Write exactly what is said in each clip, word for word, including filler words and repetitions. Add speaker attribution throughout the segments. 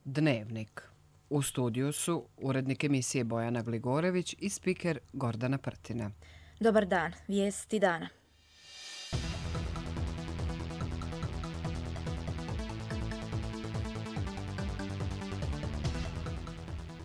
Speaker 1: Dnevnik. U studiju su urednik emisije Bojana Gligorević i spiker Gordana Prtina.
Speaker 2: Dobar dan, vijesti dana.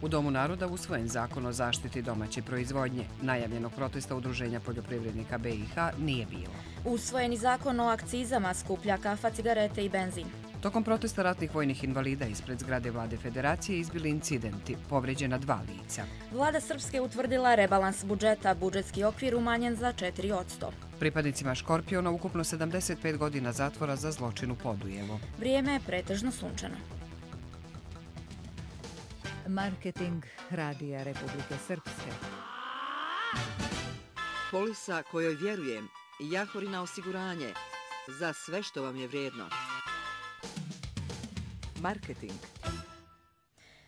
Speaker 1: U Domu naroda usvojen zakon o zaštiti domaće proizvodnje. Najavljenog protesta Udruženja poljoprivrednika B i H nije bilo.
Speaker 2: Usvojeni zakon o akcizama skuplja kafa, cigarete i benzin.
Speaker 1: Tokom protesta ratnih vojnih invalida ispred zgrade Vlade Federacije izbili incidenti, povređena dva lica.
Speaker 2: Vlada Srpske utvrdila rebalans budžeta, budžetski okvir umanjen za četiri posto.
Speaker 1: Pripadnicima Škorpiona ukupno sedamdeset pet godina zatvora za zločin u Podujevu.
Speaker 2: Vrijeme je pretežno sunčano.
Speaker 3: Marketing Radija Republike Srpske.
Speaker 4: Polisa kojoj vjerujem, Jahorina osiguranje, za sve što vam je vrijedno. Marketing.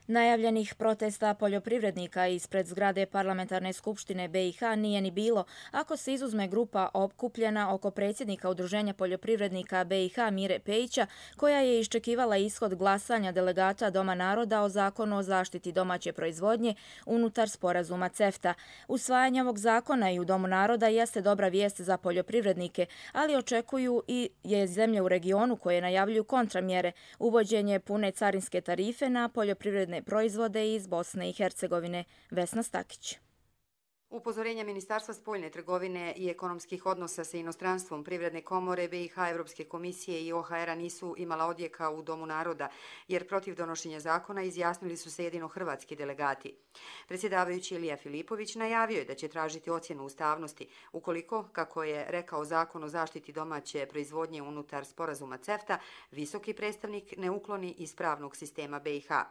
Speaker 2: Najavljenih protesta poljoprivrednika ispred zgrade Parlamentarne skupštine B i H nije ni bilo, ako se izuzme grupa okupljena oko predsjednika Udruženja poljoprivrednika B i H Mire Pejića, koja je iščekivala ishod glasanja delegata Doma naroda o zakonu o zaštiti domaće proizvodnje unutar sporazuma CEFTA. Usvajanje ovog zakona i u Domu naroda jeste dobra vijest za poljoprivrednike, ali očekuju i je zemlje u regionu koje najavljuju kontramjere, uvođenje pune carinske tarife na poljoprivredne proizvode iz Bosne i Hercegovine. Vesna Stakić.
Speaker 5: Upozorenja Ministarstva spoljne trgovine i ekonomskih odnosa sa inostranstvom, Privredne komore B i H, Evropske komisije i O H R-a nisu imala odjeka u Domu naroda, jer protiv donošenja zakona izjasnili su se jedino hrvatski delegati. Predsjedavajući Ilija Filipović najavio je da će tražiti ocjenu ustavnosti, ukoliko, kako je rekao Zakon o zaštiti domaće proizvodnje unutar sporazuma CEFTA, visoki predstavnik ne ukloni iz pravnog sistema B i H.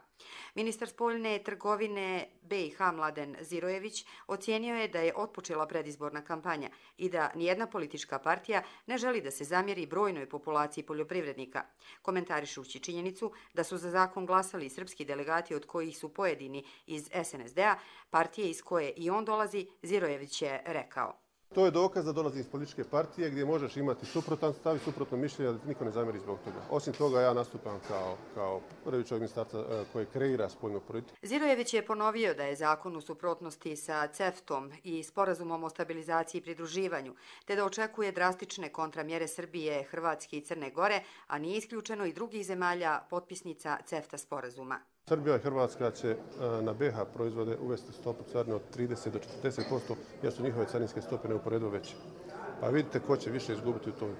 Speaker 5: Ministar spoljne trgovine B i H Mladen Zirojević ocijenio je da je otpočela predizborna kampanja i da nijedna politička partija ne želi da se zamjeri brojnoj populaciji poljoprivrednika. Komentarišući činjenicu da su za zakon glasali srpski delegati od kojih su pojedini iz S N S D-a, partije iz koje i on dolazi, Zirojević je rekao.
Speaker 6: To je dokaz da dolazi iz političke partije gdje možeš imati suprotan stav i suprotno mišljenje, da niko ne zamjeri zbog toga. Osim toga, ja nastupam kao, kao prvi čovjek ministarstva koji kreira spoljnu politiku.
Speaker 5: Zirojević je ponovio da je zakon u suprotnosti sa CEFTA-om i sporazumom o stabilizaciji i pridruživanju, te da očekuje drastične kontramjere Srbije, Hrvatske i Crne Gore, a nije isključeno i drugih zemalja potpisnica CEFTA sporazuma.
Speaker 6: Srbija i Hrvatska će na B H proizvode uvesti stopu carine od trideset do četrdeset posto, jer su njihove carinske stope neuporedivo veće. Pa vidite ko će više izgubiti u toj,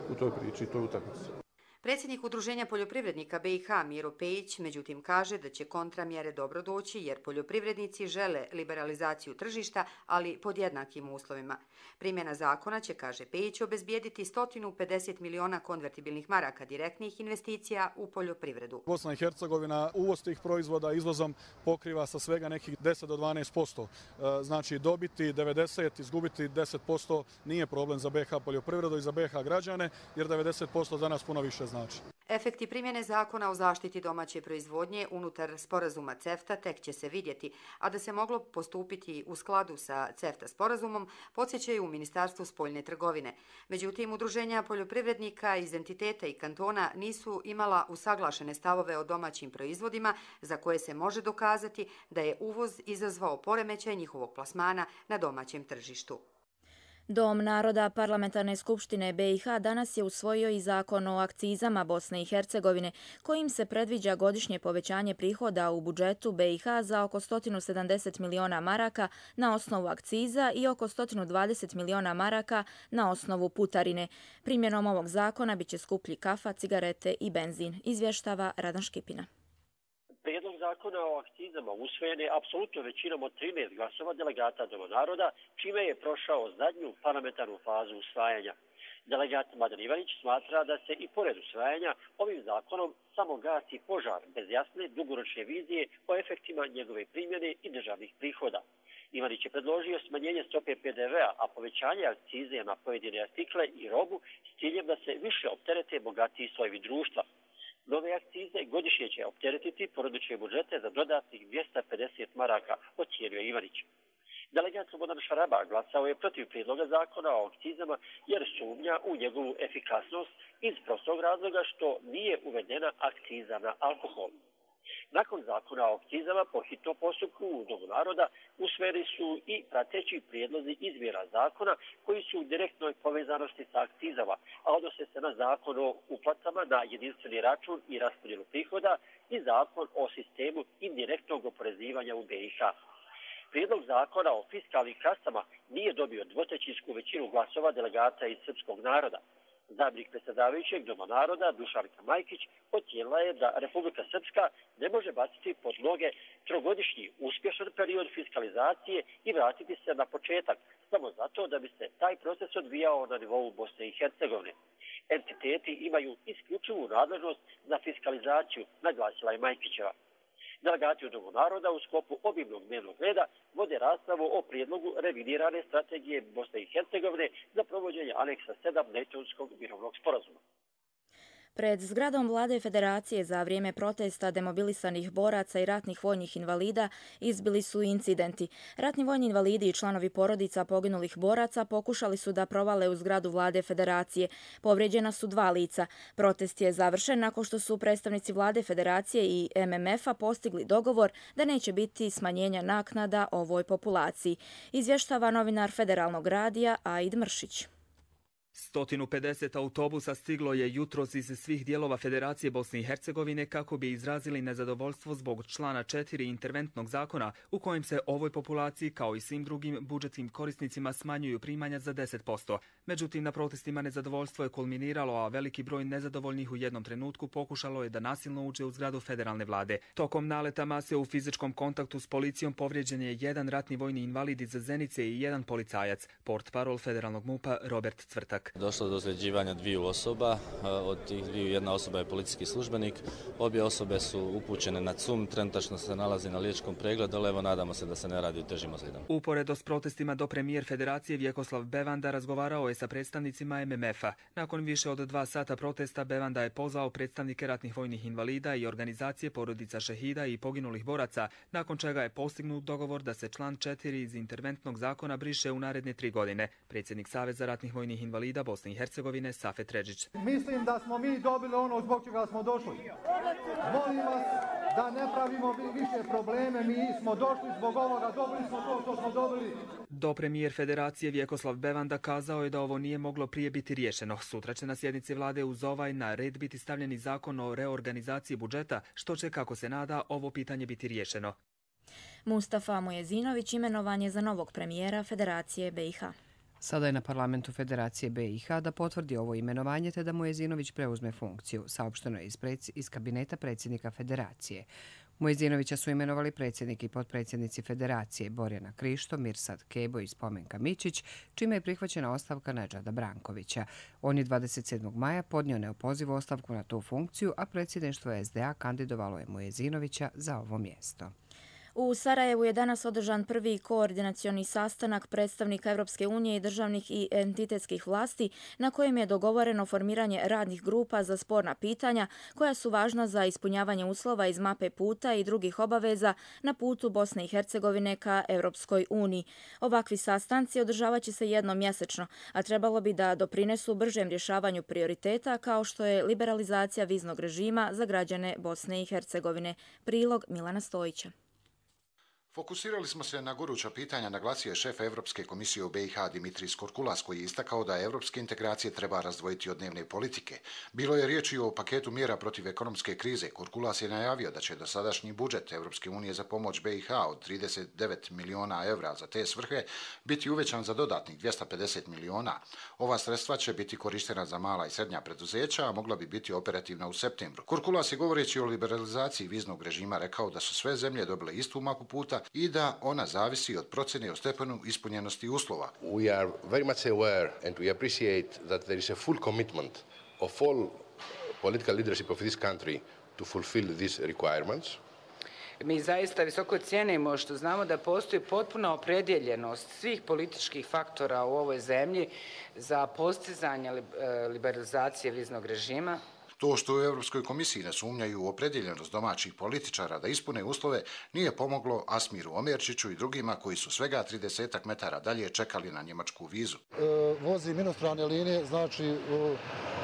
Speaker 6: u toj priči i toj utakmici.
Speaker 5: Predsjednik Udruženja poljoprivrednika B i H Miro Pejić međutim kaže da će kontramjere dobro doći jer poljoprivrednici žele liberalizaciju tržišta, ali pod jednakim uslovima. Primjena zakona će, kaže Pejić, obezbijediti sto pedeset miliona konvertibilnih maraka direktnih investicija u poljoprivredu.
Speaker 7: Bosna i Hercegovina uvoz tih proizvoda izvozom pokriva sa svega nekih deset do dvanaest posto. Znači dobiti devedeset, izgubiti deset posto nije problem za B H poljoprivredu i za B H građane, jer devedeset posto za nas puno više znači.
Speaker 5: Efekti primjene zakona o zaštiti domaće proizvodnje unutar sporazuma CEFTA tek će se vidjeti, a da se moglo postupiti u skladu sa CEFTA sporazumom, podsjećaju u Ministarstvu spoljne trgovine. Međutim, udruženja poljoprivrednika iz entiteta i kantona nisu imala usaglašene stavove o domaćim proizvodima za koje se može dokazati da je uvoz izazvao poremećaj njihovog plasmana na domaćem tržištu.
Speaker 2: Dom naroda Parlamentarne skupštine B i H danas je usvojio i zakon o akcizama Bosne i Hercegovine, kojim se predviđa godišnje povećanje prihoda u budžetu B i H za oko sto sedamdeset miliona maraka na osnovu akciza i oko sto dvadeset miliona maraka na osnovu putarine. Primjenom ovog zakona biće skuplji kafa, cigarete i benzin, izvještava Radan Škipina.
Speaker 8: Prijedlog zakona o akcizama usvojen je apsolutno većinom od trinaest glasova delegata Doma naroda, čime je prošao zadnju parlamentarnu fazu usvajanja. Delegat Mladen Ivanić smatra da se i pored usvajanja ovim zakonom samo gasi požar bez jasne dugoročne vizije o efektima njegove primjene i državnih prihoda. Ivanić je predložio smanjenje stope P D V-a, a povećanje akcize na pojedine artikle i robu s ciljem da se više opterete bogatiji slojevi društva. Nove akcize godišnje će opteretiti porodične budžete za dodatnih dvjesto pedeset maraka, ocijenio Ivanić. Delegat Slobodan Šaraba glasao je protiv prijedloga zakona o akcizama jer sumnja u njegovu efikasnost iz prostog razloga što nije uvedena akciza na alkohol. Nakon zakona o akcizama po hitnom postupku u Domu naroda usvojeni su i prateći prijedlozi izmjena zakona koji su u direktnoj povezanosti sa akcizama, a odnose se na zakon o uplatama na jedinstveni račun i raspodjelu prihoda i zakon o sistemu indirektnog oporezivanja u B i H. Prijedlog zakona o fiskalnim kasama nije dobio dvotrećinsku većinu glasova delegata iz srpskog naroda. Zamjenik predsjedavajućeg Doma naroda Dušanka Majkić ocijenila je da Republika Srpska ne može baciti pod noge trogodišnji uspješan period fiskalizacije i vratiti se na početak, samo zato da bi se taj proces odvijao na nivou Bosne i Hercegovine. Entiteti imaju isključivu nadležnost za fiskalizaciju, naglasila je Majkićeva. Delegati u Domu naroda u sklopu obimnog dnevnog reda vode raspravu o prijedlogu revidirane strategije Bosne i Hercegovine za provođenje aneksa sedam Dejtonskog mirovnog sporazuma.
Speaker 2: Pred zgradom Vlade Federacije za vrijeme protesta demobilisanih boraca i ratnih vojnih invalida izbili su incidenti. Ratni vojni invalidi i članovi porodica poginulih boraca pokušali su da provale u zgradu Vlade Federacije. Povrijeđena su dva lica. Protest je završen nakon što su predstavnici Vlade Federacije i M M F-a postigli dogovor da neće biti smanjenja naknada ovoj populaciji. Izvještava novinar Federalnog radija Aid Mršić.
Speaker 9: sto pedeset autobusa stiglo je jutros iz svih dijelova Federacije Bosne i Hercegovine kako bi izrazili nezadovoljstvo zbog člana četiri interventnog zakona u kojem se ovoj populaciji kao i svim drugim budžetskim korisnicima smanjuju primanja za deset posto. Međutim, na protestima nezadovoljstvo je kulminiralo, a veliki broj nezadovoljnih u jednom trenutku pokušalo je da nasilno uđe u zgradu federalne vlade. Tokom naleta mase u fizičkom kontaktu s policijom povrijeđen je jedan ratni vojni invalid iz Zenice i jedan policajac, portparol federalnog MUP-a Robert Cvrtak.
Speaker 10: Došlo do ozljeđivanja dviju osoba, od tih dviju jedna osoba je policijski službenik, obje osobe su upućene na C U M, trenutačno se nalazi na liječničkom pregledu, ali evo nadamo se da se ne radi o težim ozljedama.
Speaker 9: Uporedo s protestima do premijer Federacije Vjekoslav Bevanda razgovarao je sa predstavnicima M M F-a. Nakon više od dva sata protesta Bevanda je pozvao predstavnike ratnih vojnih invalida i organizacije porodica šehida i poginulih boraca, nakon čega je postignut dogovor da se član četiri iz interventnog zakona briše u naredne tri godine. Predsjednik Saveza ratnih vojnih invalida Bosne i Hercegovine Safet Redžić.
Speaker 11: Mislim da smo mi dobili ono zbog čega smo došli. Molim vas da ne pravimo više probleme, mi smo došli zbog ovoga, dobili smo to što smo dobili.
Speaker 9: Do premijer Federacije Vjekoslav Bevanda kazao je da ovo nije moglo prije biti riješeno. Sutra će na sjednici vlade uz ovaj na red biti stavljeni zakon o reorganizaciji budžeta, što će, kako se nada, ovo pitanje biti riješeno.
Speaker 2: Mustafa Mujezinović imenovan je za novog premijera Federacije B i H.
Speaker 1: Sada je na parlamentu Federacije B i H da potvrdi ovo imenovanje te da Mujezinović preuzme funkciju, saopšteno je iz, preds, iz kabineta predsjednika Federacije. Mujezinovića su imenovali predsjednik i potpredsjednici Federacije Borjana Krišto, Mirsad Kebo i Spomenka Mičić, čime je prihvaćena ostavka Nedžada Brankovića. On je dvadeset sedmog maja podnio neopozivu ostavku na tu funkciju, a predsjedništvo S D A kandidovalo je Mujezinovića za ovo mjesto.
Speaker 2: U Sarajevu je danas održan prvi koordinacioni sastanak predstavnika Europske unije i državnih i entitetskih vlasti na kojem je dogovoreno formiranje radnih grupa za sporna pitanja koja su važna za ispunjavanje uslova iz mape puta i drugih obaveza na putu Bosne i Hercegovine ka Europskoj uniji. Ovakvi sastanci održavat će se jednom mjesečno, a trebalo bi da doprinesu bržem rješavanju prioriteta kao što je liberalizacija viznog režima za građane Bosne i Hercegovine. Prilog Milana Stojića.
Speaker 12: Fokusirali smo se na goruća pitanja, naglasio je šef Europske komisije u B i H Dimitris Korkulas, koji je istakao da europske integracije treba razdvojiti od dnevne politike. Bilo je riječi o paketu mjera protiv ekonomske krize. Korkulas je najavio da će dosadašnji budžet Europske unije za pomoć B i H od trideset devet miliona evra za te svrhe biti uvećan za dodatnih dvjesto pedeset miliona. Ova sredstva će biti korištena za mala i srednja preduzeća, a mogla bi biti operativna u septembru. Korkulas je, govoreći o liberalizaciji viznog režima, rekao da su sve zemlje dobile istu mapu puta i da ona zavisi od procjene o stepenu ispunjenosti uslova.
Speaker 13: We are very much aware and we appreciate that there is a full commitment of all political leadership of this country to fulfill these requirements.
Speaker 14: Mi zaista visoko cijenimo što znamo da postoji potpuna opredjeljenost svih političkih faktora u ovoj zemlji za postizanje liberalizacije viznog režima.
Speaker 12: To što u Europskoj komisiji ne sumnjaju u opredjeljenost domaćih političara da ispune uslove nije pomoglo Asmiru Omerčiću i drugima koji su svega tridesetak metara dalje čekali na njemačku vizu.
Speaker 11: E, vozim inostrane linije, znači e,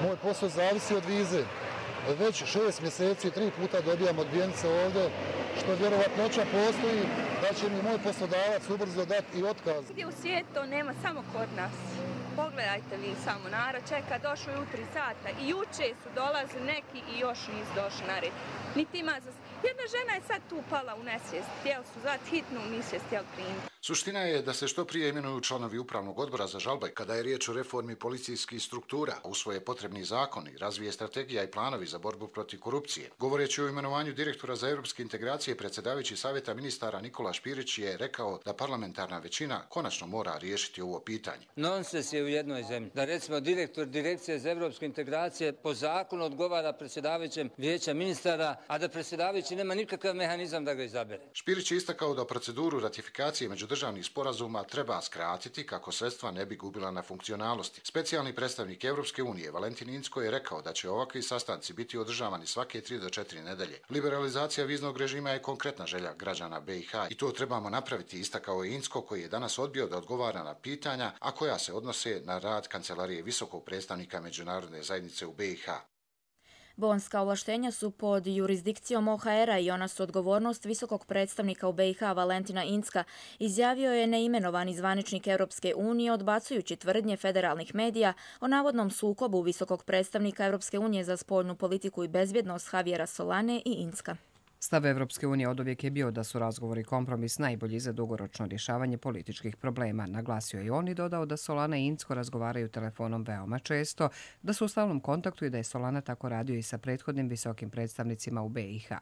Speaker 11: moj posao zavisi od vize.
Speaker 15: već šest mjeseci, tri puta dobijam odbijenice ovdje, što vjerovatnoća postoji da će mi moj poslodavac ubrzo dati i otkaz.
Speaker 16: Gdje u svijetu to nema, samo kod nas. Pogledajte vi samo, narod čeka, došlo je u tri sata i juče su dolazili neki i još nisu došli na red. Niti ima za... Jedna žena je sad tu pala u nesvijest, htjeli su zvati hitnu, nisu je htjeli primiti.
Speaker 12: Suština je da se što prije imenuju članovi Upravnog odbora za žalbe kada je riječ o reformi policijskih struktura, usvoje potrebni zakoni, razvije strategija i planovi za borbu protiv korupcije. Govoreći o imenovanju direktora za europske integracije, predsjedavajući savjeta ministara Nikola Špirić je rekao da parlamentarna većina konačno mora riješiti ovo pitanje.
Speaker 17: Nonsens je u jednoj zemlji da recimo direktor direkcije za europske integracije po zakonu odgovara predsjedavajućem vijeća ministara, a da predsjedavajući nema nikakav mehanizam da ga izabere.
Speaker 12: Špirić je istakao da proceduru ratifikacije međudržavnih sporazuma treba skratiti kako sredstva ne bi gubila na funkcionalnosti. Specijalni predstavnik Europske unije Valentin Incko je rekao da će ovakvi sastanci biti održavani svake tri do četiri nedelje. Liberalizacija viznog režima je konkretna želja građana B i H i to trebamo napraviti, istakao je Incko, koji je danas odbio da odgovara na pitanja, a koja se odnose na rad Kancelarije visokog predstavnika međunarodne zajednice u B i H.
Speaker 2: Bonska ovlaštenja su pod jurisdikcijom O H R-a i ona su odgovornost visokog predstavnika u B i H Valentina Incka, izjavio je neimenovani zvaničnik Europske unije odbacujući tvrdnje federalnih medija o navodnom sukobu visokog predstavnika Europske unije za spoljnu politiku i bezbjednost Javiera Solane i Incka.
Speaker 1: Stav Evropske unije oduvijek je bio da su razgovori kompromis najbolji za dugoročno rješavanje političkih problema. Naglasio je on i dodao da Solana i Incko razgovaraju telefonom veoma često, da su u stalnom kontaktu i da je Solana tako radio i sa prethodnim visokim predstavnicima u B i H.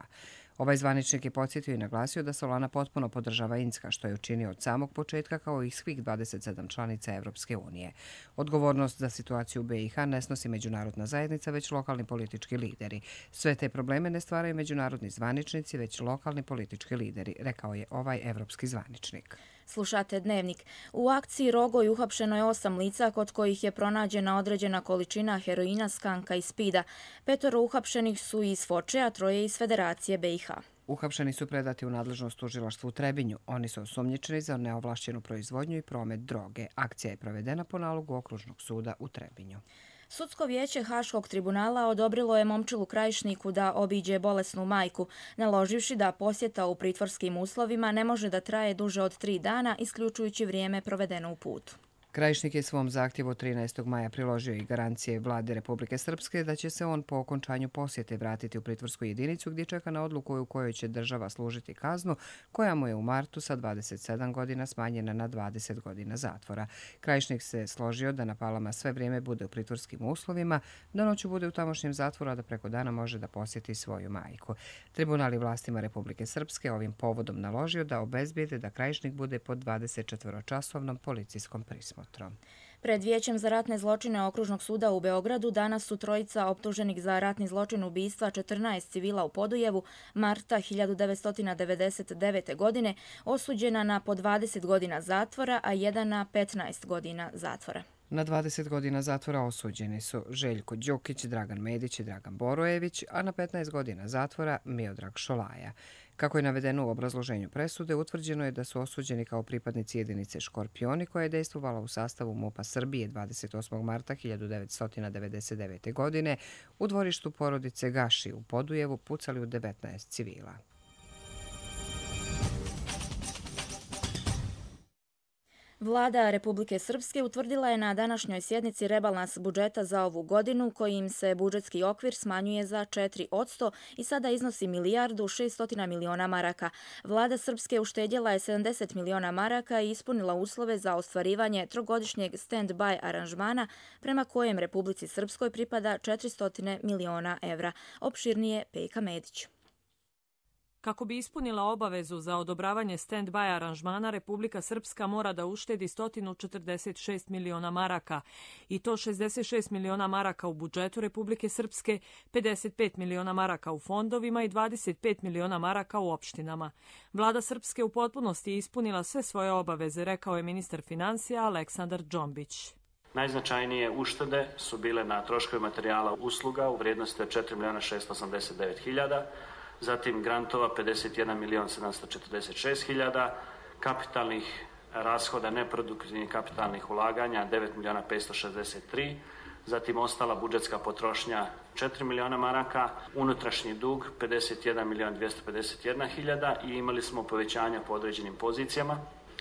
Speaker 1: Ovaj zvaničnik je podsjetio i naglasio da Solana potpuno podržava Incka, što je učinio od samog početka kao i svih dvadeset sedam članica Evropske unije. Odgovornost za situaciju u B i H ne snosi međunarodna zajednica, već lokalni politički lideri. Sve te probleme ne stvaraju međunarodni zvaničnici, već lokalni politički lideri, rekao je ovaj evropski zvaničnik.
Speaker 2: Slušate Dnevnik. U akciji Rogoj uhapšeno je osam lica kod kojih je pronađena određena količina heroina, skanka i spida. Petoro uhapšenih su iz Foče, a troje iz Federacije B i H.
Speaker 1: Uhapšeni su predati u nadležnost tužilaštvu u Trebinju. Oni su osumnjičeni za neovlašćenu proizvodnju i promet droge. Akcija je provedena po nalogu Okružnog suda u Trebinju.
Speaker 2: Sudsko vijeće Haškog tribunala odobrilo je Momčilu Krajišniku da obiđe bolesnu majku, naloživši da posjeta u pritvorskim uslovima ne može da traje duže od tri dana, isključujući vrijeme provedeno u putu.
Speaker 1: Krajišnik je svom zahtjevu trinaestog maja priložio i garancije vlade Republike Srpske da će se on po okončanju posjete vratiti u pritvorsku jedinicu gdje čeka na odluku u kojoj će država služiti kaznu koja mu je u martu sa dvadeset sedam godina smanjena na dvadeset godina zatvora. Krajišnik se složio da na Palama sve vrijeme bude u pritvorskim uslovima, da noću bude u tamošnjem zatvoru, a da preko dana može da posjeti svoju majku. Tribunal i vlastima Republike Srpske ovim povodom naložio da obezbijede da Krajišnik bude pod dvadesetčetvoročasovnom policijskom prismom.
Speaker 2: Pred Vijećem za ratne zločine Okružnog suda u Beogradu danas su trojica optuženih za ratni zločin ubistva četrnaest civila u Podujevu marta hiljadu devetsto devedeset devete. godine osuđena na po dvadeset godina zatvora, a jedan na petnaest godina zatvora.
Speaker 1: Na dvadeset godina zatvora osuđeni su Željko Đukić, Dragan Medić i Dragan Borojević, a na petnaest godina zatvora Miodrag Šolaja. Kako je navedeno u obrazloženju presude, utvrđeno je da su osuđeni kao pripadnici jedinice Škorpioni koja je dejstvovala u sastavu MUP-a Srbije dvadeset osmog marta hiljadu devetsto devedeset devete. godine u dvorištu porodice Gaši u Podujevu pucali u devetnaest civila.
Speaker 2: Vlada Republike Srpske utvrdila je na današnjoj sjednici rebalans budžeta za ovu godinu kojim se budžetski okvir smanjuje za četiri posto i sada iznosi milijardu šesto miliona maraka. Vlada Srpske uštedjela je sedamdeset miliona maraka i ispunila uslove za ostvarivanje trogodišnjeg stand-by aranžmana prema kojem Republici Srpskoj pripada četiristo miliona evra. Opširnije Pejka Medić.
Speaker 18: Kako bi ispunila obavezu za odobravanje stand-by aranžmana, Republika Srpska mora da uštedi sto četrdeset šest miliona maraka i to šezdeset šest miliona maraka u budžetu Republike Srpske, pedeset pet miliona maraka u fondovima i dvadeset pet miliona maraka u opštinama. Vlada Srpske u potpunosti je ispunila sve svoje obaveze, rekao je ministar finansija Aleksandar Džombić.
Speaker 19: Najznačajnije uštede su bile na troškovi materijala usluga u vrijednosti od četiri miliona šesto osamdeset devet hiljada, zatim grantova pedeset jedan milion sedamsto četrdeset šest hiljada, kapitalnih rashoda neproduktivnih kapitalnih ulaganja devet miliona petsto šezdeset tri, zatim ostala budžetska potrošnja četiri miliona maraka, unutrašnji dug pedeset jedan milion dvjesto pedeset jedna hiljada i imali smo povećanja po određenim pozicijama,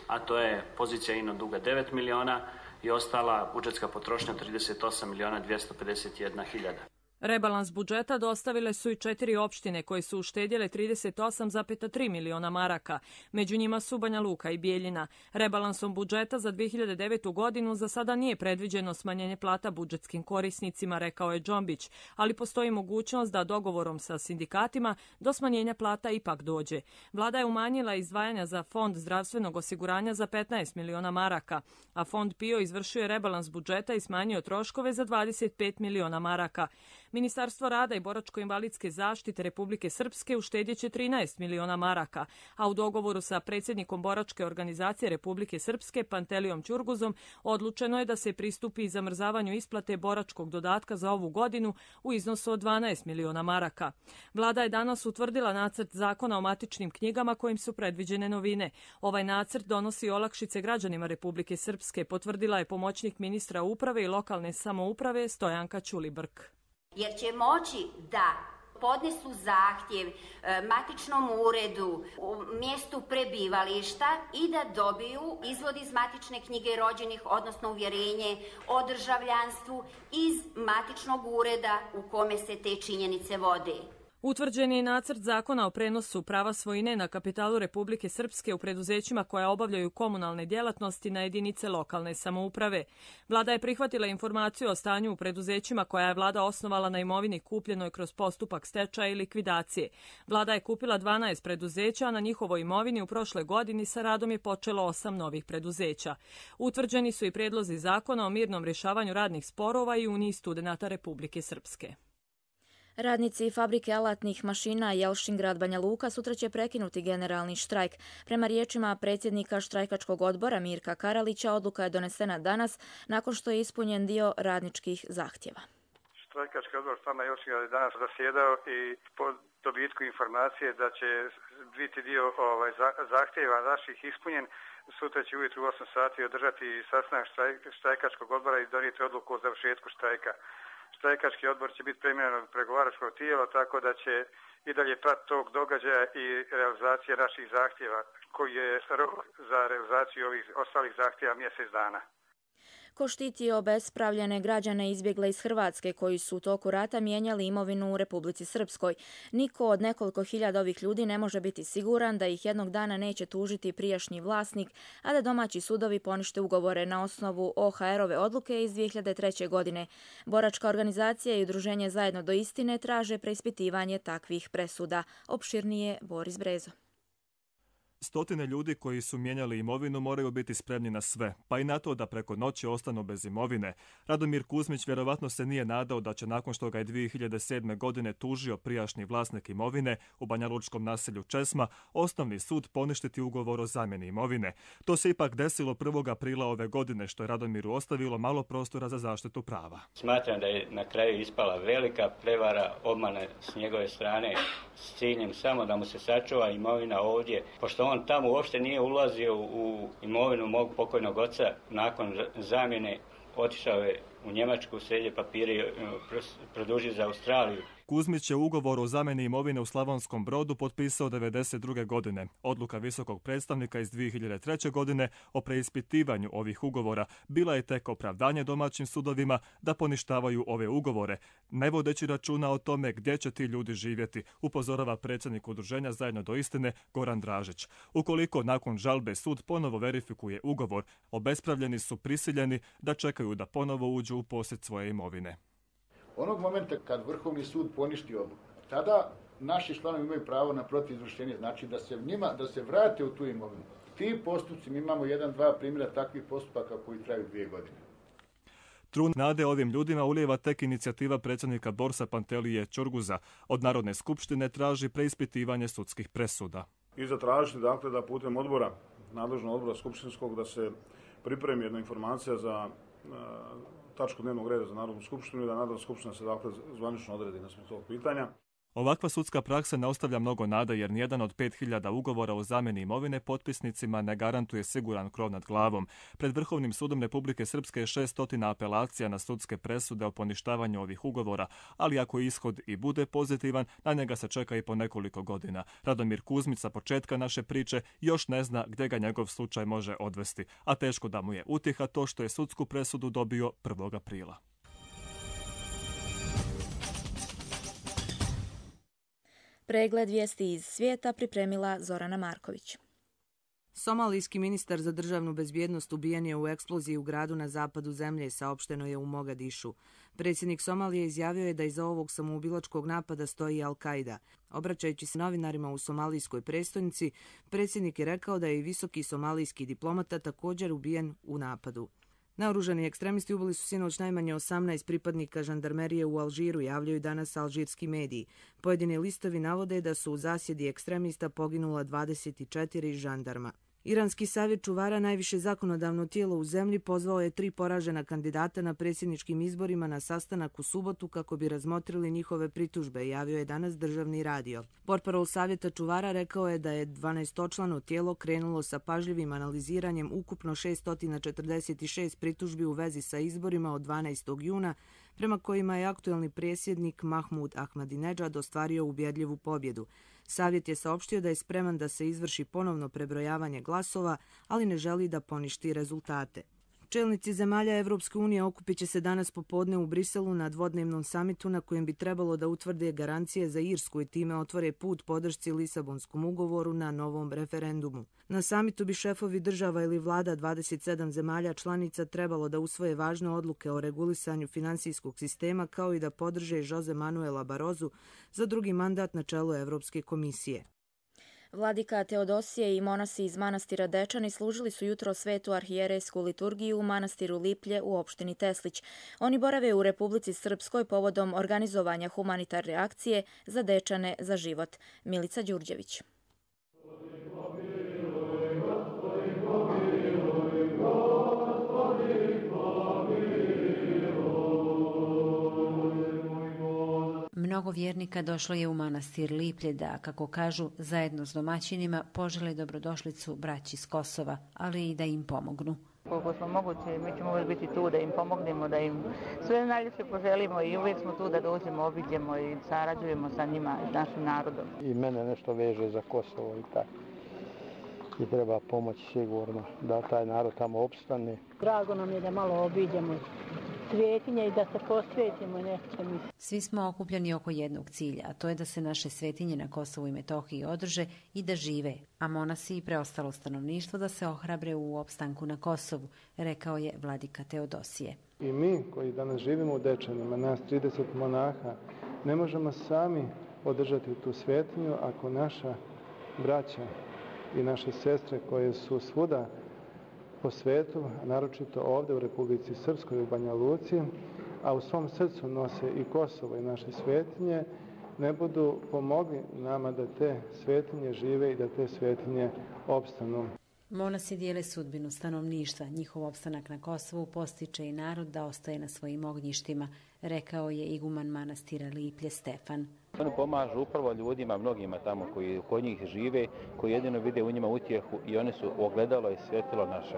Speaker 19: a to je pozicija ino duga devet miliona i ostala budžetska potrošnja trideset osam miliona dvjesto pedeset jedna hiljada.
Speaker 18: Rebalans budžeta dostavile su i četiri opštine koje su uštedjele trideset osam zarez tri miliona maraka. Među njima su Banja Luka i Bijeljina. Rebalansom budžeta za dvije hiljade devetu godinu za sada nije predviđeno smanjenje plata budžetskim korisnicima, rekao je Džombić, ali postoji mogućnost da dogovorom sa sindikatima do smanjenja plata ipak dođe. Vlada je umanjila izdvajanja za Fond zdravstvenog osiguranja za petnaest miliona maraka, a Fond PIO izvršio je rebalans budžeta i smanjio troškove za dvadeset pet miliona maraka. Ministarstvo rada i boračko-invalidske zaštite Republike Srpske uštedjet će trinaest miliona maraka, a u dogovoru sa predsjednikom boračke organizacije Republike Srpske Pantelijom Ćurguzom odlučeno je da se pristupi zamrzavanju isplate boračkog dodatka za ovu godinu u iznosu od dvanaest miliona maraka. Vlada je danas utvrdila nacrt zakona o matičnim knjigama kojim su predviđene novine. Ovaj nacrt donosi olakšice građanima Republike Srpske, potvrdila je pomoćnik ministra uprave i lokalne samouprave Stojanka Ćulibrk.
Speaker 20: Jer će moći da podnesu zahtjev matičnom uredu u mjestu prebivališta i da dobiju izvod iz matične knjige rođenih, odnosno uvjerenje o državljanstvu iz matičnog ureda u kome se te činjenice vode.
Speaker 18: Utvrđen je nacrt zakona o prenosu prava svojine na kapitalu Republike Srpske u preduzećima koja obavljaju komunalne djelatnosti na jedinice lokalne samouprave. Vlada je prihvatila informaciju o stanju u preduzećima koja je vlada osnovala na imovini kupljenoj kroz postupak stečaja i likvidacije. Vlada je kupila dvanaest preduzeća, a na njihovoj imovini u prošle godini sa radom je počelo osam novih preduzeća. Utvrđeni su i prijedlozi zakona o mirnom rješavanju radnih sporova i Uniji studenata Republike Srpske.
Speaker 2: Radnici fabrike alatnih mašina Jelšingrad Banja Luka sutra će prekinuti generalni štrajk. Prema riječima predsjednika štrajkačkog odbora Mirka Karalića, odluka je donesena danas nakon što je ispunjen dio radničkih zahtjeva.
Speaker 21: Štrajkački odbor stana Jelšingrad je danas zasjedao i po dobitku informacije da će biti dio ovaj, zahtjeva naših ispunjen. Sutra će ujutru u osam sati održati sastanak štrajkačkog odbora i donijeti odluku o završetku štrajka. Štrajkački odbor će biti premijenjen od pregovaračkog tijela, tako da će i dalje pratiti tog događaja i realizacije naših zahtjeva, koji je rok za realizaciju ovih ostalih zahtjeva mjesec dana.
Speaker 2: Ko štiti obespravljene građane izbjegle iz Hrvatske koji su u toku rata mijenjali imovinu u Republici Srpskoj. Niko od nekoliko hiljada ovih ljudi ne može biti siguran da ih jednog dana neće tužiti prijašnji vlasnik, a da domaći sudovi ponište ugovore na osnovu O H R-ove odluke iz dvije hiljade treće. godine. Boračka organizacija i udruženje Zajedno do istine traže preispitivanje takvih presuda. Opširnije Boris Brezo.
Speaker 22: Stotine ljudi koji su mijenjali imovinu moraju biti spremni na sve, pa i na to da preko noći ostanu bez imovine. Radomir Kuzmić vjerovatno se nije nadao da će nakon što ga je dvije hiljade sedme. godine tužio prijašnji vlasnik imovine u banjalučkom naselju Česma, osnovni sud poništiti ugovor o zamjeni imovine. To se ipak desilo prvog aprila ove godine, što je Radomiru ostavilo malo prostora za zaštitu prava.
Speaker 23: Smatram da je na kraju ispala velika prevara, obmana s njegove strane s ciljem samo da mu se sačuva imovina ovdje, pošto on tamo uopšte nije ulazio u imovinu mog pokojnog oca. Nakon zamjene otišao je u Njemačku, sredio papire i produžio za Australiju.
Speaker 22: Kuzmić je ugovor o zamjeni imovine u Slavonskom Brodu potpisao devedeset druge. godine. Odluka visokog predstavnika iz dvije hiljade treće. godine o preispitivanju ovih ugovora bila je tek opravdanje domaćim sudovima da poništavaju ove ugovore, ne vodeći računa o tome gdje će ti ljudi živjeti, upozorava predsjednik udruženja Zajedno do istine Goran Dražić. Ukoliko nakon žalbe sud ponovo verifikuje ugovor, obespravljeni su prisiljeni da čekaju da ponovo uđu u posjed svoje imovine.
Speaker 24: Onog momenta kad Vrhovni sud poništi odluku, tada naši članovi imaju pravo na protivizvršenje, znači da se njima, da se vrate u tu imovinu. Ti postupci, mi imamo jedan, dva primjera takvih postupaka koji traju dvije godine.
Speaker 22: Trun nade ovim ljudima ulijeva tek inicijativa predsjednika Borsa Pantelije Ćurguza. Od Narodne skupštine traži preispitivanje sudskih presuda.
Speaker 25: I zatražiti dakle da putem odbora, nadležnog odbora skupštinskog, da se pripremi jedna informacija za tačku dnevnog reda za Narodnu skupštinu i da Narodna skupština se dakle zvanično odredi na sve tog pitanja.
Speaker 22: Ovakva sudska praksa ne ostavlja mnogo nada jer nijedan od pet hiljada ugovora o zamjeni imovine potpisnicima ne garantuje siguran krov nad glavom. Pred Vrhovnim sudom Republike Srpske je šesnaest apelacija na sudske presude o poništavanju ovih ugovora, ali ako ishod i bude pozitivan, na njega se čeka i po nekoliko godina. Radomir Kuzmić sa početka naše priče još ne zna gdje ga njegov slučaj može odvesti, a teško da mu je utjeha to što je sudsku presudu dobio prvog aprila.
Speaker 2: Pregled vijesti iz svijeta pripremila Zorana Marković.
Speaker 3: Somalijski ministar za državnu bezbjednost ubijen je u eksploziji u gradu na zapadu zemlje, saopšteno je u Mogadišu. Predsjednik Somalije izjavio je da iza ovog samoubilačkog napada stoji Al-Qaida. Obraćajući se novinarima u somalijskoj prestonici, predsjednik je rekao da je i visoki somalijski diplomata također ubijen u napadu. Naoružani ekstremisti ubili su sinoć najmanje osamnaest pripadnika žandarmerije u Alžiru, javljaju danas alžirski mediji. Pojedini listovi navode da su u zasjedi ekstremista poginula dvadeset četiri žandarma. Iranski savjet čuvara, najviše zakonodavno tijelo u zemlji, pozvao je tri poražena kandidata na predsjedničkim izborima na sastanak u subotu kako bi razmotrili njihove pritužbe, javio je danas državni radio. Portparol savjeta čuvara rekao je da je dvanaestočlano tijelo krenulo sa pažljivim analiziranjem ukupno šessto četrdeset šest pritužbi u vezi sa izborima od dvanaestog juna, prema kojima je aktuelni predsjednik Mahmud Ahmadinejad ostvario ubjedljivu pobjedu. Savjet je saopštio da je spreman da se izvrši ponovno prebrojavanje glasova, ali ne želi da poništi rezultate. Čelnici zemalja Evropske unije okupit će se danas popodne u Briselu na dvodnevnom samitu na kojem bi trebalo da utvrde garancije za Irsku i time otvore put podršci Lisabonskom ugovoru na novom referendumu. Na samitu bi šefovi država ili vlada dvadeset sedam zemalja članica trebalo da usvoje važne odluke o regulisanju finansijskog sistema kao i da podrže Jose Manuela Barozu za drugi mandat na čelu Evropske komisije.
Speaker 2: Vladika Teodosije i monasi iz manastira Dečani služili su jutro svetu arhijerejsku liturgiju u manastiru Liplje u opštini Teslić. Oni borave u Republici Srpskoj povodom organizovanja humanitarne akcije za Dečane za život. Milica Đurđević.
Speaker 4: Mnogo vjernika došlo je u manastir Liplje da, kako kažu, zajedno s domaćinima požele dobrodošlicu braći s Kosova, ali i da im pomognu.
Speaker 5: Koliko smo moguće, mi ćemo uvijek biti tu da im pomognemo, da im sve najljepše poželimo i uvijek smo tu da dođemo, obiđemo i sarađujemo sa njima i našim narodom.
Speaker 6: I mene nešto veže za Kosovo i tako. I treba pomoći sigurno da taj narod tamo opstane.
Speaker 7: Drago nam je da malo obiđemo svetinje i da se posvetimo nečemu.
Speaker 4: Svi smo okupljeni oko jednog cilja, a to je da se naše svetinje na Kosovu i Metohiji održe i da žive, a monasi i preostalo stanovništvo da se ohrabre u opstanku na Kosovu, rekao je vladika Teodosije.
Speaker 6: I mi koji danas živimo u Dečanima, nas trideset monaha, ne možemo sami održati tu svetinju ako naša braća i naše sestre koje su svuda po svetu, a naročito ovdje u Republici Srpskoj u Banja Luci, a u svom srcu nose i Kosovo i naše svetinje, ne budu pomogli nama da te svetinje žive i da te svetinje opstanu.
Speaker 4: Monasi dijele sudbinu stanovništva. Njihov opstanak na Kosovu postiče i narod da ostaje na svojim ognjištima, rekao je iguman manastira Liplje Stefan.
Speaker 26: Oni pomažu upravo ljudima, mnogima tamo koji kod njih žive, koji jedino vide u njima utjehu i oni su ogledalo i svjetilo naše.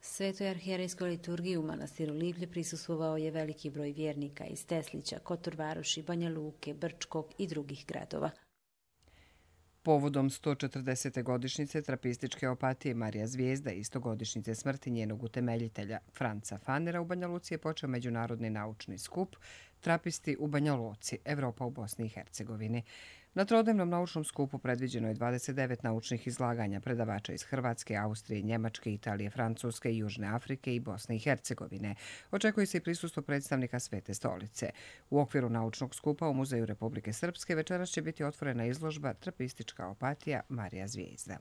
Speaker 4: Svetoj arhijerejskoj liturgiji u manastiru Liplje prisustvovao je veliki broj vjernika iz Teslića, Kotor Varoši, Banja Luke, Brčkog i drugih gradova.
Speaker 1: Povodom sto četrdesete godišnjice trapističke opatije Marija Zvijezda i stogodišnjice smrti njenog utemeljitelja Franca Fanera u Banja Luci je počeo međunarodni naučni skup Trapisti u Banja Luci, Evropa u Bosni i Hercegovini. Na trodnevnom naučnom skupu predviđeno je dvadeset devet naučnih izlaganja predavača iz Hrvatske, Austrije, Njemačke, Italije, Francuske, Južne Afrike i Bosne i Hercegovine. Očekuje se i prisustvo predstavnika Svete stolice. U okviru naučnog skupa u Muzeju Republike Srpske večeras će biti otvorena izložba Trapistička opatija Marija Zvijezda.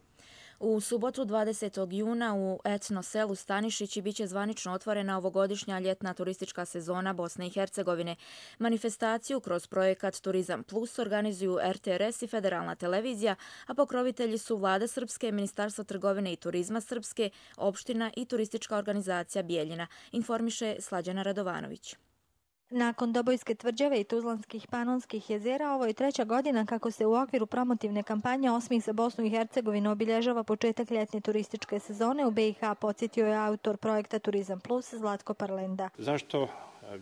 Speaker 2: U subotu dvadesetog juna u etno selu Stanišići biće zvanično otvorena ovogodišnja ljetna turistička sezona Bosne i Hercegovine. Manifestaciju kroz projekat Turizam Plus organizuju er te er es i Federalna televizija, a pokrovitelji su Vlada Srpske, Ministarstvo trgovine i turizma Srpske, opština i turistička organizacija Bijeljina, informiše Slađana Radovanović.
Speaker 8: Nakon Dobojske tvrđave i Tuzlanskih panonskih jezera, ovo je treća godina kako se u okviru promotivne kampanje Osmih za Bosnu i Hercegovinu obilježava početak ljetne turističke sezone u be i ha, podsjetio je autor projekta Turizam Plus Zlatko Parlenda.
Speaker 9: Zašto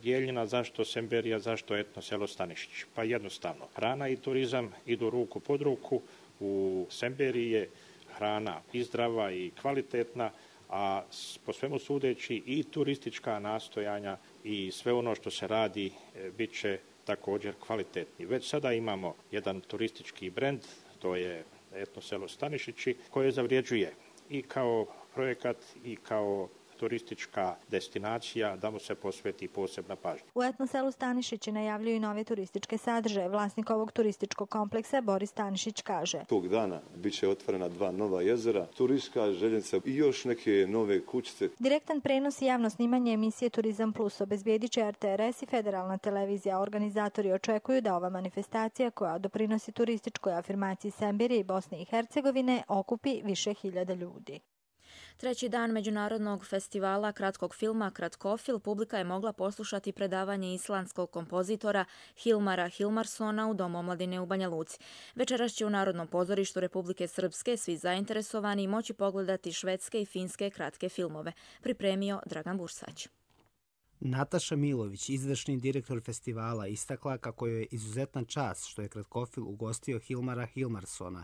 Speaker 9: Bjeljina, zašto Semberija, zašto etno selo Stanišić? Pa jednostavno, hrana i turizam idu ruku pod ruku. U Semberiji je hrana i zdrava i kvalitetna, a po svemu sudeći i turistička nastojanja i sve ono što se radi bit će također kvalitetni. Već sada imamo jedan turistički brend, to je etno selo Stanišići, koje zavrijeđuje i kao projekat i kao turistička destinacija da mu se posveti posebna pažnja.
Speaker 8: U etno selu Stanišići najavljuju nove turističke sadržaje. Vlasnik ovog turističkog kompleksa Boris Stanišić kaže:
Speaker 10: Tog dana bit će otvorena dva nova jezera, turistička željeznica i još neke nove kućice.
Speaker 8: Direktan prenos i javno snimanje emisije Turizam Plus obezbijedit će er te er es i Federalna televizija. Organizatori očekuju da ova manifestacija, koja doprinosi turističkoj afirmaciji Semberije i Bosne i Hercegovine, okupi više hiljada ljudi.
Speaker 2: Treći dan Međunarodnog festivala kratkog filma Kratkofil publika je mogla poslušati predavanje islandskog kompozitora Hilmara Hilmarssona u Domu omladine u Banja Luci. Večeras će u Narodnom pozorištu Republike Srpske svi zainteresovani moći pogledati švedske i finske kratke filmove. Pripremio Dragan Bursać.
Speaker 11: Nataša Milović, izvršni direktor festivala, istakla kako je izuzetna čast što je Kratkofil ugostio Hilmara Hilmarssona,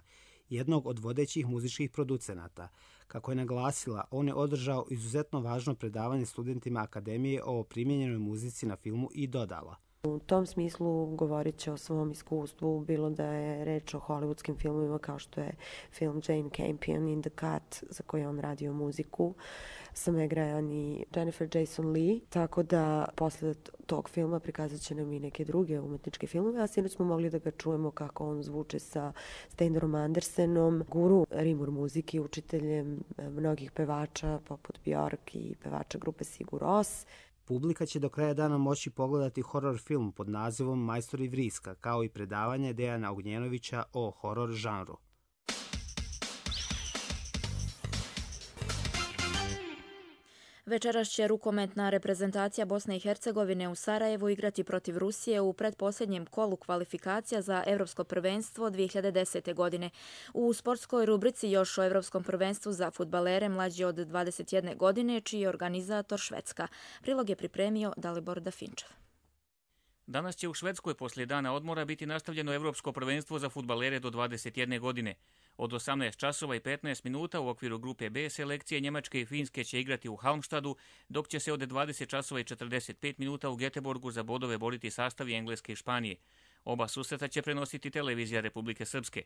Speaker 11: jednog od vodećih muzičkih producenata. Kako je naglasila, on je održao izuzetno važno predavanje studentima Akademije o primjenjenoj muzici na filmu i dodala:
Speaker 13: U tom smislu govorit će o svom iskustvu, bilo da je reč o hollywoodskim filmovima kao što je film Jane Campion in the Cut, za koji on radio muziku, sa Meg Ryan i Jennifer Jason Leigh, tako da posle tog filma prikazat će nam i neke druge umetničke filmove, a sinoć smo mogli da ga čujemo kako on zvuče sa Steinerom Andersenom, guru rimur muziki, učiteljem mnogih pevača poput Bjork i pevača grupe Sigur Rós.
Speaker 11: Publika će do kraja dana moći pogledati horor film pod nazivom Majstori vriska, kao i predavanje Dejana Ognjenovića o horor žanru.
Speaker 2: Večeras će rukometna reprezentacija Bosne i Hercegovine u Sarajevu igrati protiv Rusije u pretposljednjem kolu kvalifikacija za Evropsko prvenstvo dvije hiljade desete. godine. U sportskoj rubrici još o Evropskom prvenstvu za fudbalere mlađi od dvadeset jedne godine, čiji je organizator Švedska. Prilog je pripremio Dalibor Dafinčev.
Speaker 14: Danas će u Švedskoj poslije dana odmora biti nastavljeno Evropsko prvenstvo za fudbalere do dvadeset jedne godine. Od osamnaest časova i petnaest minuta u okviru grupe B selekcije Njemačke i Finske će igrati u Halmstadu, dok će se od dvadeset časova i četrdeset pet minuta u Göteborgu za bodove boriti sastavi Engleske i Španije. Oba susreta će prenositi televizija Republike Srpske.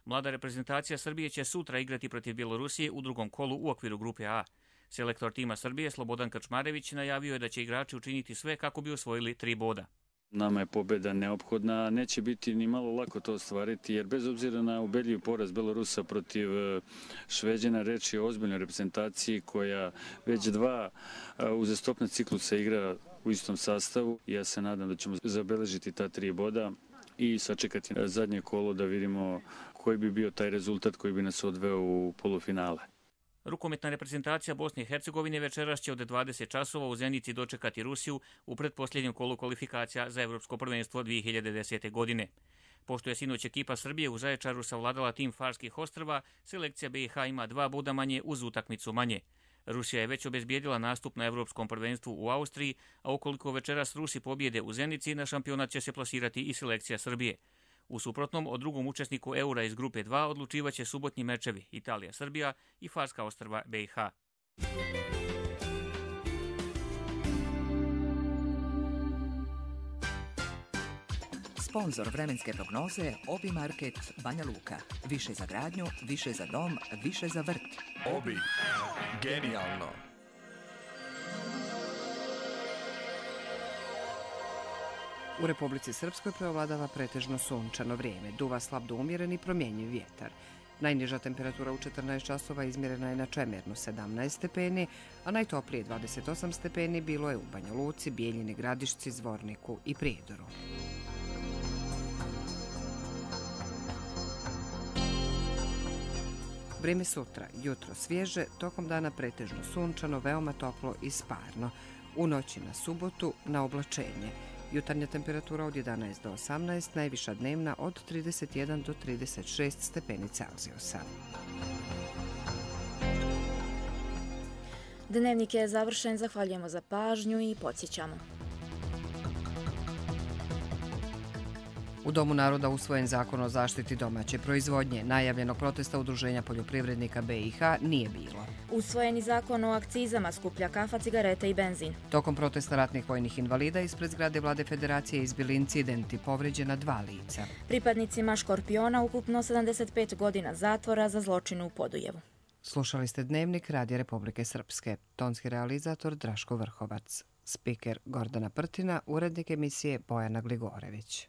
Speaker 14: Mlada reprezentacija Srbije će sutra igrati protiv Bjelorusije u drugom kolu u okviru grupe A. Selektor tima Srbije Slobodan Krčmarević najavio je da će igrači učiniti sve kako bi osvojili tri boda.
Speaker 27: Nama je pobjeda neophodna, neće biti ni malo lako to ostvariti, jer bez obzira na ubedljiv poraz Belorusa protiv Šveđana, reč je o ozbiljnoj reprezentaciji koja već dva uzastopna ciklusa igra u istom sastavu. Ja se nadam da ćemo zabeležiti ta tri boda i sačekati zadnje kolo da vidimo koji bi bio taj rezultat koji bi nas odveo u polufinale.
Speaker 14: Rukometna reprezentacija Bosne i Hercegovine večeras će od dvadeset časova u Zenici dočekati Rusiju u pretposljednjem kolu kvalifikacija za Evropsko prvenstvo dvije hiljade desete. godine. Pošto je sinoć ekipa Srbije u Zaječaru savladala tim Farskih ostrva, selekcija be i ha ima dva boda manje uz utakmicu manje. Rusija je već obezbijedila nastup na Evropskom prvenstvu u Austriji, a ukoliko večeras Rusi pobjede u Zenici, na šampionat će se plasirati i selekcija Srbije. U suprotnom, o drugom učesniku Eura iz grupe dva odlučivaće subotnji mečevi Italija-Srbija i Farska ostrva be i ha.
Speaker 28: Sponzor vremenske prognoze Obi Market Banja Luka. Više za gradnju, više za dom, više za vrt.
Speaker 29: Obi. Genijalno.
Speaker 1: U Republici Srpskoj preovladava pretežno sunčano vrijeme, duva slab do umjeren i promjenjiv vjetar. Najniža temperatura u četrnaest časova izmjerena je na Čemernu sedamnaest stepeni, a najtoplije dvadeset osam stepeni bilo je u Banja Luci, Bijeljini, Gradišci, Zvorniku i Prijedoru. Vrijeme sutra, jutro svježe, tokom dana pretežno sunčano, veoma toplo i sparno. U noći na subotu na oblačenje. Jutarnja temperatura od jedanaest do osamnaest, najviša dnevna od trideset jedan do trideset šest stepeni Celzijusa.
Speaker 2: Dnevnik je završen, zahvaljujemo za pažnju i podsjećamo.
Speaker 1: U Domu naroda usvojen zakon o zaštiti domaće proizvodnje. Najavljenog protesta Udruženja poljoprivrednika B i H nije bilo.
Speaker 2: Usvojeni zakon o akcizama skuplja kafa, cigarete i benzin.
Speaker 1: Tokom protesta ratnih vojnih invalida ispred zgrade Vlade Federacije izbili incidenti, povređena dva lica.
Speaker 2: Pripadnicima Škorpiona ukupno sedamdeset pet godina zatvora za zločin u Podujevu.
Speaker 1: Slušali ste Dnevnik Radija Republike Srpske. Tonski realizator Draško Vrhovac. Spiker Gordana Prtina, urednik emisije Bojana Gligorević.